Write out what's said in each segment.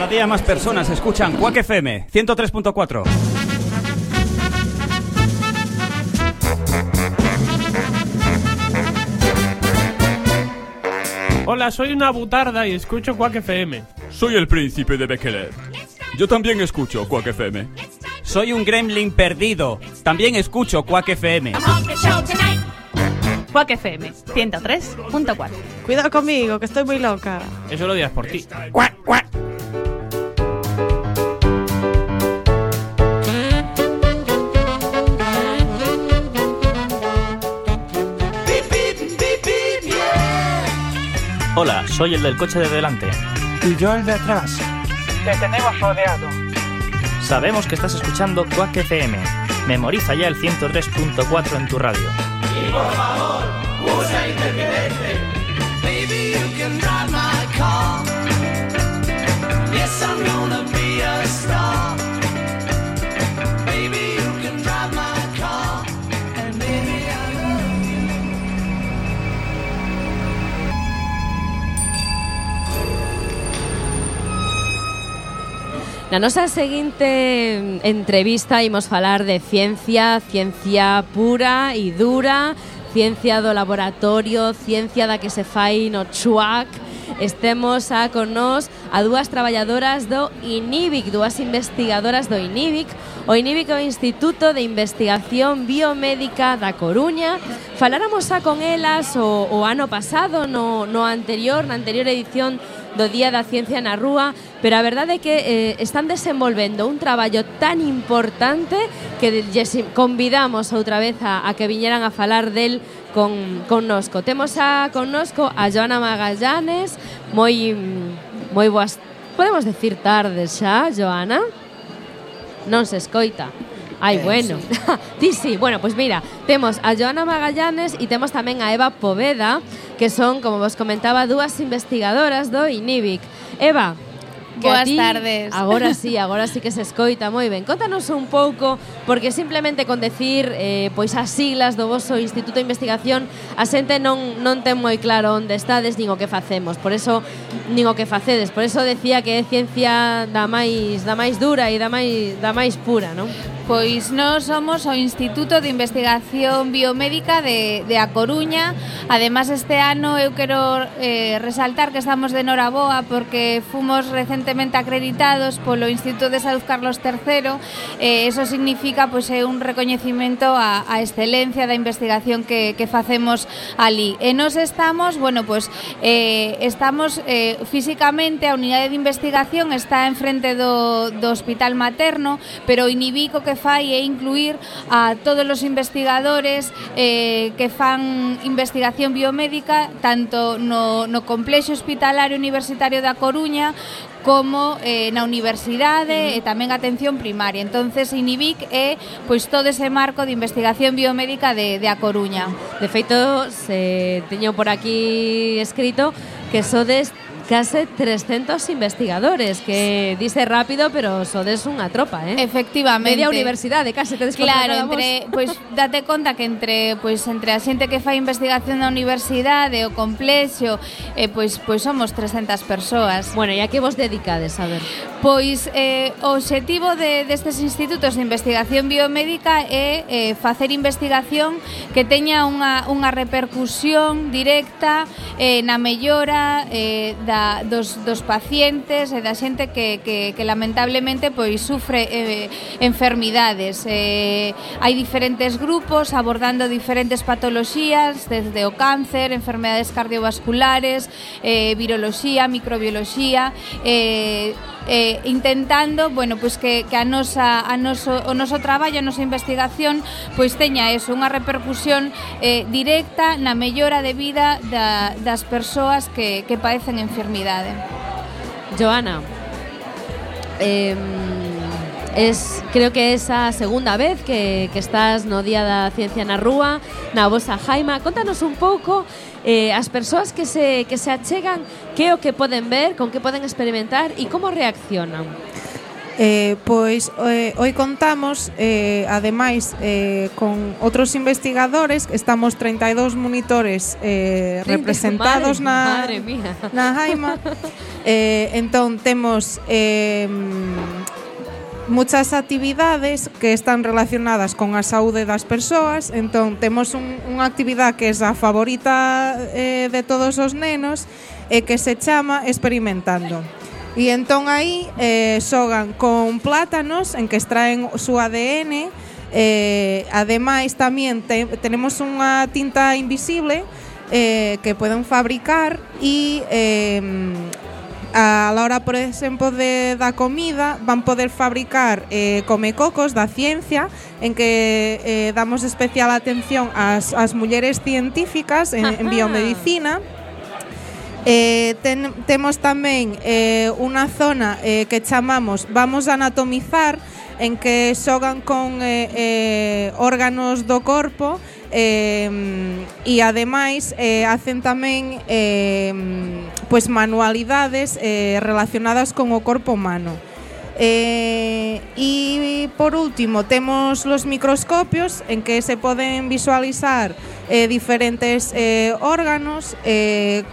Cada día más personas escuchan Quack FM 103.4. Hola, soy una butarda y escucho Quack FM. Soy el príncipe de Bekele. Yo también escucho Quack FM. Soy un gremlin perdido. También escucho Quack FM. Quack FM 103.4. Cuidado conmigo, que estoy muy loca. Eso lo dirás por ti. Quack, quack. Hola, soy el del coche de delante. Y yo el de atrás. Te tenemos rodeado. Sabemos que estás escuchando Quack FM. Memoriza ya el 103.4 en tu radio. Y por favor, usa intermitente. Baby, you can drive my car. Yes, I'm gonna be a star. Baby, you can drive my car. And baby, I love you. Na nosa seguinte entrevista imos falar de ciencia pura e dura, ciencia do laboratorio, ciencia da que se fai no chuac. Estemos con nós a dúas traballadoras do INIBIC, dúas investigadoras do INIBIC. O INIBIC é o Instituto de Investigación Biomédica da Coruña. Faláramos con elas o ano pasado, na anterior edición do Día da Ciencia na Rúa, pero a verdade é que están desenvolvendo un traballo tan importante que convidamos outra vez a que viñeran a falar del connosco. Temos connosco a Joana Magallanes. Moi boas, podemos decir tardes xa, Joana? Non se escoita. Ai, bueno. Sí, bueno, pues mira, temos a Joana Magallanes e temos tamén a Eva Poveda, que son, como vos comentaba, dúas investigadoras do INIBIC. Eva, boas tardes. Agora sí que se escoita moi ben. Contanos un pouco, porque simplemente con decir pois as siglas do voso Instituto de Investigación a xente non ten moi claro onde estades nin o que facemos. Por eso nin o que facedes. Por eso decía que é ciencia da máis dura e da máis pura, non? Pois nós somos o Instituto de Investigación Biomédica de A Coruña. Ademais, este ano eu quero resaltar que estamos de noraboa porque fomos recentemente acreditados polo Instituto de Salud Carlos III. Eso significa pois é un recoñecimento a excelencia da investigación que facemos ali. E nós estamos, estamos físicamente, a unidade de investigación está enfrente do Hospital Materno, pero o INIBIC o que fai é incluir a todos os investigadores que fan investigación biomédica tanto no complexo hospitalario universitario da Coruña como na universidade e tamén atención primaria. Entonces, INIBIC é pois todo ese marco de investigación biomédica de A Coruña. De feito, teño por aquí escrito que sodes case 300 investigadores, que dice rápido, pero sodes unha tropa, ¿eh? Efectivamente. Media universidade, case tedes contra cada vos. Pois date conta que entre a xente que fai investigación da universidade, o complexo, pois somos 300 persoas. Bueno, e a que vos dedicades, a ver? Pois o obxectivo destes institutos de investigación biomédica é facer investigación que teña unha repercusión directa na mellora dos pacientes e da xente que lamentablemente pois sufre enfermidades. Hai diferentes grupos abordando diferentes patoloxías, desde o cáncer, enfermedades cardiovasculares, viroloxía, microbioloxía, intentando, pois que o noso traballo, a nosa investigación pois teña eso, unha repercusión directa na mellora de vida das persoas que padecen enfermidade. Joana, creo que é a segunda vez que estás no Día da Ciencia na Rúa, na vosa jaima. Contanos un pouco as persoas que se achegan, que é o que poden ver, con que poden experimentar e como reaccionan. Hoy contamos, ademais, con outros investigadores. Estamos 32 monitores representados madre mía. na Jaima. Entón, temos muchas actividades que están relacionadas con a saúde das persoas. Entón, temos unha actividade que é a favorita de todos os nenos e que se chama Experimentando. E entón aí xogan con plátanos en que extraen o seu ADN. Ademais tamén tenemos unha tinta invisible que poden fabricar e a la hora, por exemplo, da comida van poder fabricar comecocos da ciencia en que damos especial atención ás mulleres científicas en biomedicina. Temos tamén unha zona que chamamos Vamos a anatomizar, en que xogan con órganos do corpo e ademais hacen tamén manualidades relacionadas con o corpo humano. E por último temos los microscopios, en que se poden visualizar diferentes órganos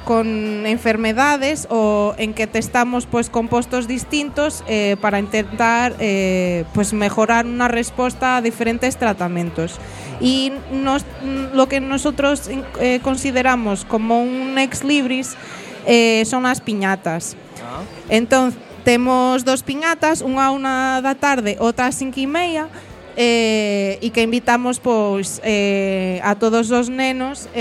con enfermedades, o en que testamos compostos distintos para intentar mejorar una respuesta a diferentes tratamientos. Y lo que nosotros consideramos como un ex libris son las piñatas. Entonces temos 2 piñatas, unha a 1 da tarde, outra a 5:30, e que invitamos a todos os nenos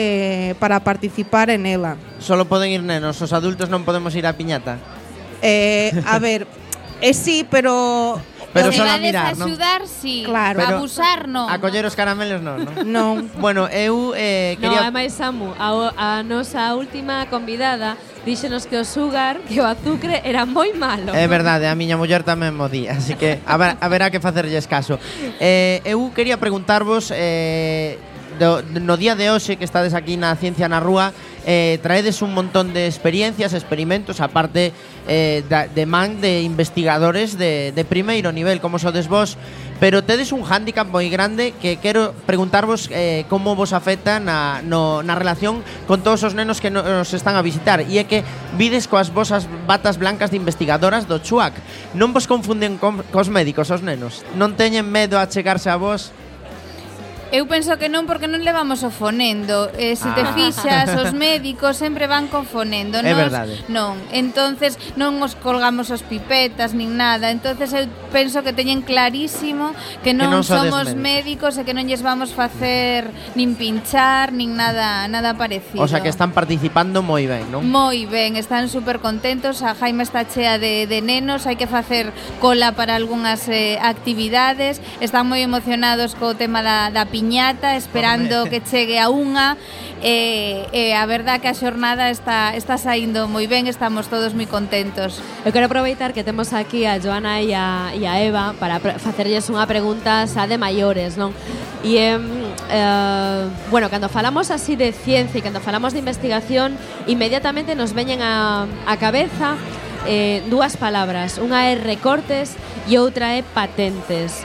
para participar en ela. Solo poden ir nenos, os adultos non podemos ir á piñata? A ver, sí, pero só a mirar, non? Axudar, sí. Claro. Pero abusar, non. A coller os caramelos, non? Non. Bueno, eu quería... No, ademais, Samu, a nosa última convidada díxenos que o sugar, que o azucre era moi malo. É verdade, a miña muller tamén mo di, así que haberá que facerlles caso. Eu quería preguntarvos, no día de hoxe que estades aquí na Ciencia na Rúa, traedes un montón de experiencias, experimentos, aparte de man de investigadores de primeiro nivel, como sodes vos, pero tedes un hándicap moi grande que quero preguntarvos como vos afecta na relación con todos os nenos que nos están a visitar, e é que vides coas vosas batas blancas de investigadoras do CHUAC. Non vos confunden cos médicos os nenos? Non teñen medo a chegarse a vos? Eu penso que non, porque non levamos o fonendo. Se te fixas, os médicos sempre van co fonendo. É verdade. Non, entonces non os colgamos os pipetas nin nada. Entonces eu penso que teñen clarísimo que non somos médicos e que non lles vamos facer nin pinchar, nin nada parecido. O sea que están participando moi ben, non? Moi ben, están super contentos. A Jaime está chea de nenos, hai que facer cola para algunhas actividades. Están moi emocionados co tema da piñata, esperando que chegue a unha. A verdad que a xornada está saindo moi ben, estamos todos moi contentos. Eu quero aproveitar que temos aquí a Joana e a Eva para facerlles unha pregunta xa de maiores, non? E bueno, cando falamos así de ciencia e cando falamos de investigación, inmediatamente nos veñen a cabeza dúas palabras, unha é recortes e outra é patentes.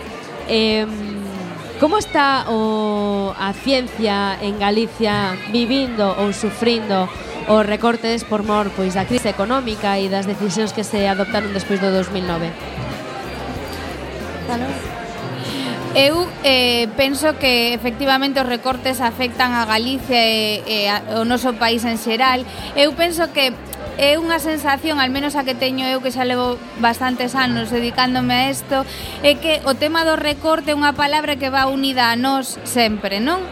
Como está a ciencia en Galicia vivindo ou sufrindo os recortes por mor da crise económica e das decisións que se adoptaron despois do 2009? Eu penso que efectivamente os recortes afectan a Galicia e ao noso país en xeral. Eu penso que é unha sensación, al menos a que teño eu, que xa levo bastantes anos dedicándome a isto, é que o tema do recorte é unha palabra que va unida a nós sempre, non?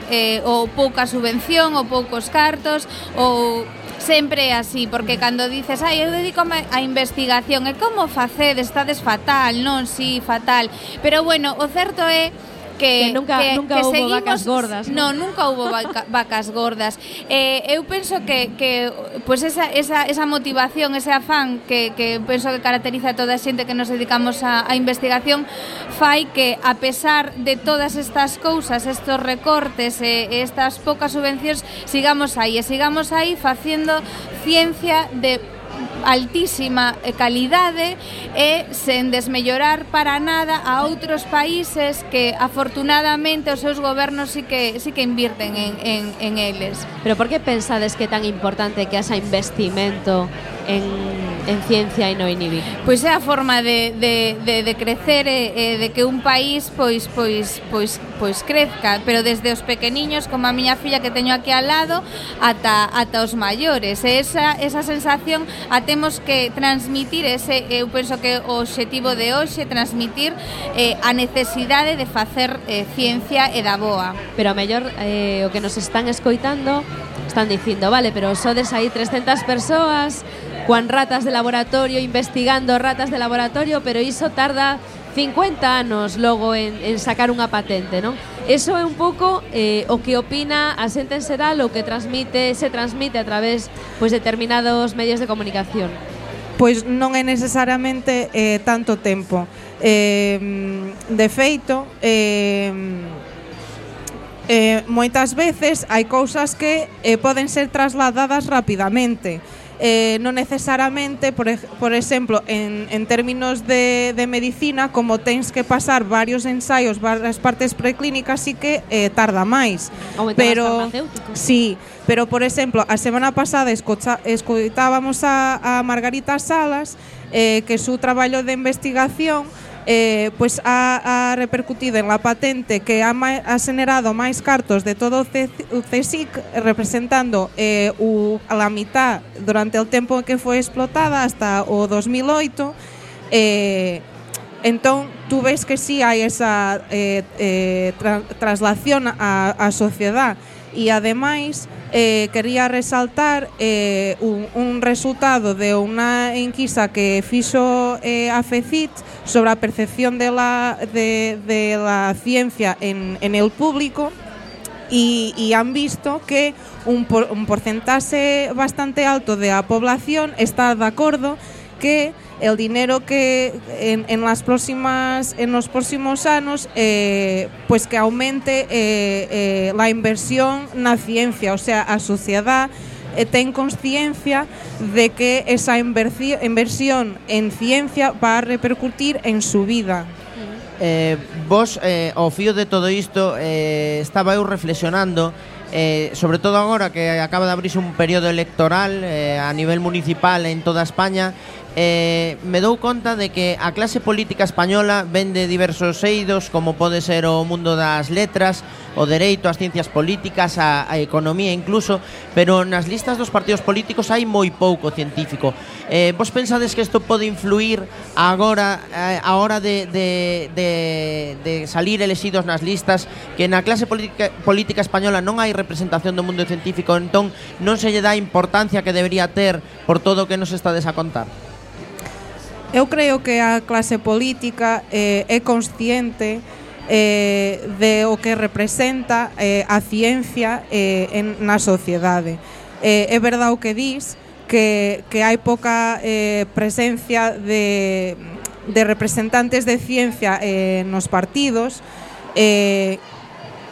Ou pouca subvención, ou poucos cartos, ou sempre é así, porque cando dices eu dedícome a investigación, e como facedes, estades fatal, non? Si, fatal. Pero bueno, o certo é que nunca houbo seguimos, vacas gordas, ¿no? Nunca houbo vacas gordas. Eu penso que pues esa motivación, ese afán que penso que caracteriza a toda a xente que nos dedicamos a investigación, fai que, a pesar de todas estas cousas, estos recortes e estas poucas subvencións, sigamos aí facendo ciencia de altísima calidade e sen desmellorar para nada a outros países que afortunadamente os seus gobernos sí que invirten en eles. Pero por que pensades que é tan importante que haxa investimento en ciencia e no INIBI? Pois é a forma de crecer e de que un país pois crezca, pero desde os pequeniños, como a miña filla que teño aquí al lado, ata os maiores. E esa sensación a temos que transmitir, eu penso que o obxectivo de hoxe transmitir a necesidade de facer ciencia e da boa. Pero a mellor o que nos están escoitando están dicindo, vale, pero sodes aí 300 persoas cuan ratas de laboratorio, investigando ratas de laboratorio, pero iso tarda 50 anos logo en sacar unha patente, non? Eso é un pouco o que opina a xente en xeral, o que se transmite a través determinados medios de comunicación. Pois non é necesariamente tanto tempo. De feito, moitas veces hai cousas que poden ser trasladadas rapidamente. Non necesariamente, por exemplo, en términos de medicina, como tens que pasar varios ensaios, varias partes preclínicas, sí que tarda máis. Pero sí, pero por exemplo, a semana pasada escoitábamos a Margarita Salas, que su traballo de investigación pois ha repercutido en la patente que ha generado máis cartos de todo o CSIC, representando a la mitad durante o tempo en que foi explotada hasta o 2008. Entón, tú ves que sí hai esa traslación á sociedade. E ademais quería resaltar un resultado de unha enquisa que fixo a FECIT sobre a percepción de la ciencia en el público, y han visto que un porcentaje bastante alto de la población está de acuerdo que el dinero que en los próximos años pues que aumente la inversión na ciencia, o sea, a sociedad ten consciencia de que esa inversión en ciencia va a repercutir en su vida. Vos, ao fío de todo isto, estaba eu reflexionando, sobre todo agora que acaba de abrirse un período electoral a nivel municipal en toda España. Me dou conta de que a clase política española ven de diversos eidos, como pode ser o mundo das letras, o dereito, as ciencias políticas, a economía incluso, pero nas listas dos partidos políticos hai moi pouco científico. Vos pensades que isto pode influir agora a hora de salir elexidos nas listas, que na clase política española non hai representación do mundo científico, entón non se lle dá a importancia que debería ter por todo o que nos estades a contar? Eu creo que a clase política é consciente de o que representa a ciencia na sociedade. É verdade o que dis, que hai pouca presencia de representantes de ciencia nos partidos, que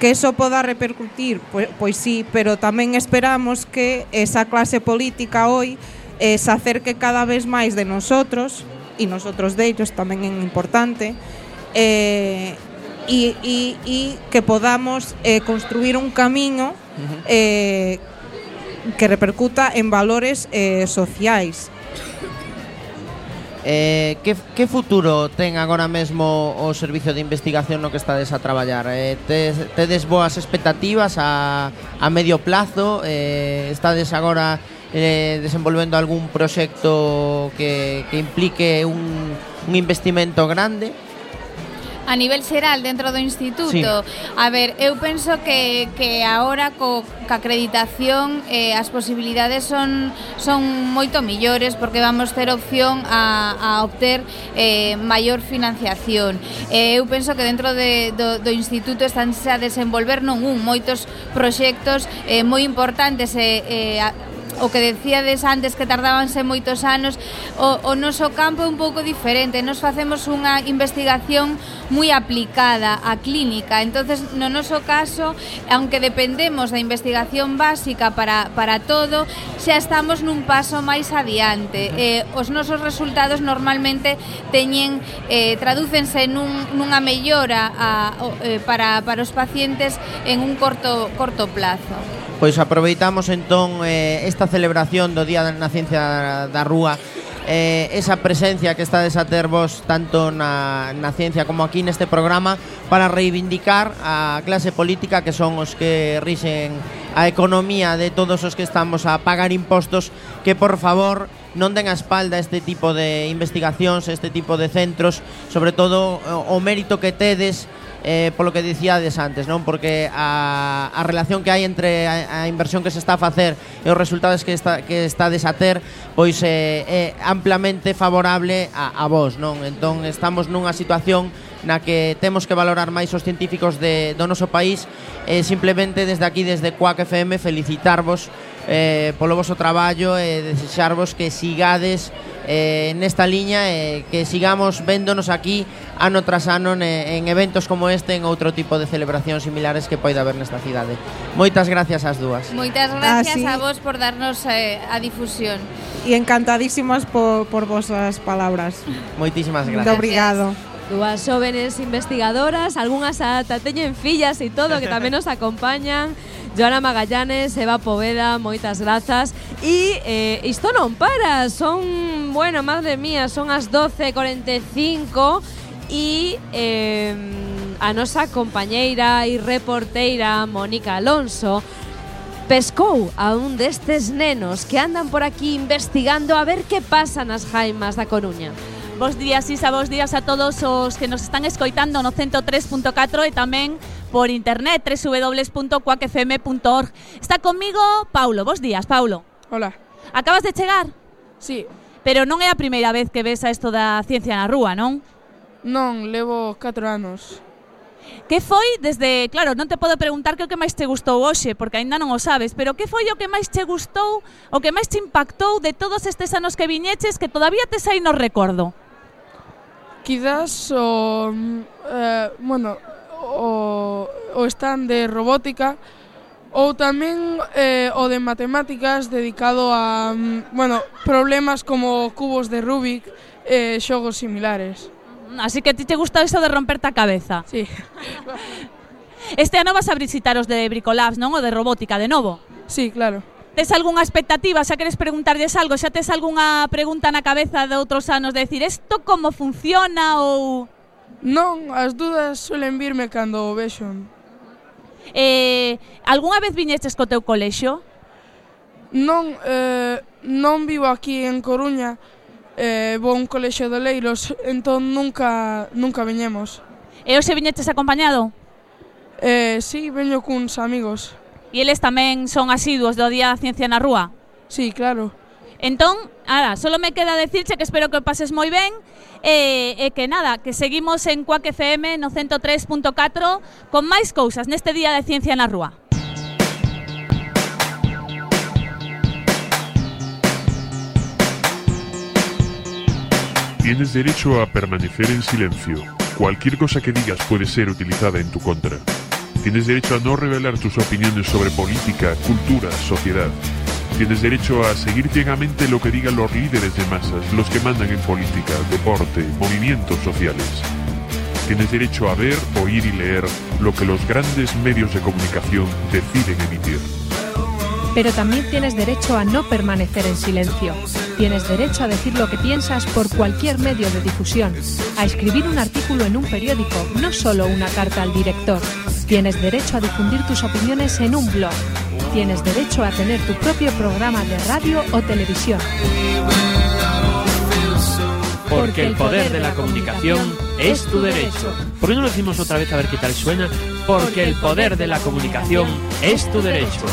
eso poda repercutir, pois sí, pero tamén esperamos que esa clase política hoy se acerque cada vez máis de nosotros, e nosotros de ellos tamén é importante, e que podamos construir un camiño que repercuta en valores sociais. Que futuro ten agora mesmo o servicio de investigación no que estades a traballar? Tedes boas expectativas a medio plazo? Estades agora desenvolvendo algún proxecto que implique un investimento grande? A nivel xeral dentro do instituto, sí. A ver, eu penso que agora ca acreditación as posibilidades son moito millores, porque vamos ter opción a obter maior financiación. Eu penso que dentro do instituto están a desenvolver moitos proxectos moi importantes o que decíades antes que tardábanse moitos anos, o noso campo é un pouco diferente. Nos facemos unha investigación moi aplicada á clínica. Entonces, no noso caso, aunque dependemos da investigación básica para todo, xa estamos nun paso máis adiante. Os nosos resultados normalmente tradúcense nunha mellora para os pacientes en un corto plazo. Pois aproveitamos entón esta celebración do Día na Ciencia da Rúa, esa presencia que estades a ter vos tanto na ciencia como aquí neste programa, para reivindicar a clase política, que son os que rixen a economía de todos os que estamos a pagar impostos, que por favor non den a espalda este tipo de investigacións, este tipo de centros, sobre todo o mérito que tedes polo que dicíades antes, non? Porque a relación que hai entre a inversión que se está a facer e os resultados que estades a ter, pois é amplamente favorable a vos, non? Entón estamos nunha situación na que temos que valorar máis os científicos do noso país, e simplemente desde aquí, desde Quack FM, felicitarvos polo voso traballo e desexarvos que sigades nesta liña e que sigamos véndonos aquí ano tras ano en eventos como este, en outro tipo de celebracións similares que poida haber nesta cidade. Moitas gracias ás dúas. Moitas gracias a vos por darnos a difusión. E encantadísimas por vosas palabras. Moitísimas gracias. Muito obrigado. Dúas jóvenes investigadoras, algunhas ata teñen fillas e todo, que tamén nos acompañan. Joana Magallanes, Eva Poveda, moitas grazas. E isto non para, son, bueno, madre mía, son as 12:45 e a nosa compañeira e reporteira Mónica Alonso pescou a un destes nenos que andan por aquí investigando a ver que pasa nas jaimas da Coruña. Bos días, Isa, bos días a todos os que nos están escoitando no 103.4 e tamén por internet, www.quackfm.org. Está conmigo Paulo. Bos días, Paulo. Hola. Acabas de chegar? Sí. Pero non é a primeira vez que ves a isto da ciencia na rúa, non? Non, levo 4 anos. Que foi desde... Claro, non te podo preguntar que o que máis te gustou hoxe, porque aínda non o sabes, pero que foi o que máis te gustou, o que máis te impactou de todos estes anos que viñeches que todavía tes aí no recordo? Quizás o stand de robótica ou tamén o de matemáticas dedicado a problemas como cubos de Rubik e xogos similares. Así que ti te gusta eso de romperte a cabeza. Sí. Este ano vas a visitar os de Bricolabs, non? O de robótica, de novo? Sí, claro. Tes algunha expectativa? Xa queres preguntarlles algo? Xa tes algunha pregunta na cabeza de outros anos de decir isto como funciona ou... Non, as dudas suelen virme cando o vexo. Algunha vez viñestes co teu colexio? Non, non vivo aquí en Coruña, vou a un colexio de Leiros, entón nunca viñemos. E hoxe viñeches acompañado? Sí, veño cuns amigos. E eles tamén son asiduos do Día da Ciencia na Rúa? Sí, claro. Entón, solo me queda decirche que espero que o pases moi ben e que nada, que seguimos en Quack FM no 103.4 con máis cousas neste Día de Ciencia na Rúa. Tienes derecho a permanecer en silencio. Cualquier cosa que digas puede ser utilizada en tu contra. Tienes derecho a no revelar tus opiniones sobre política, cultura, sociedad. Tienes derecho a seguir ciegamente lo que digan los líderes de masas, los que mandan en política, deporte, movimientos sociales. Tienes derecho a ver, oír y leer lo que los grandes medios de comunicación deciden emitir. Pero también tienes derecho a no permanecer en silencio. Tienes derecho a decir lo que piensas por cualquier medio de difusión, a escribir un artículo en un periódico, no solo una carta al director. Tienes derecho a difundir tus opiniones en un blog. Tienes derecho a tener tu propio programa de radio o televisión. Porque el poder de la comunicación es tu derecho. ¿Por qué no lo decimos otra vez a ver qué tal suena? Porque el poder de la comunicación es tu derecho.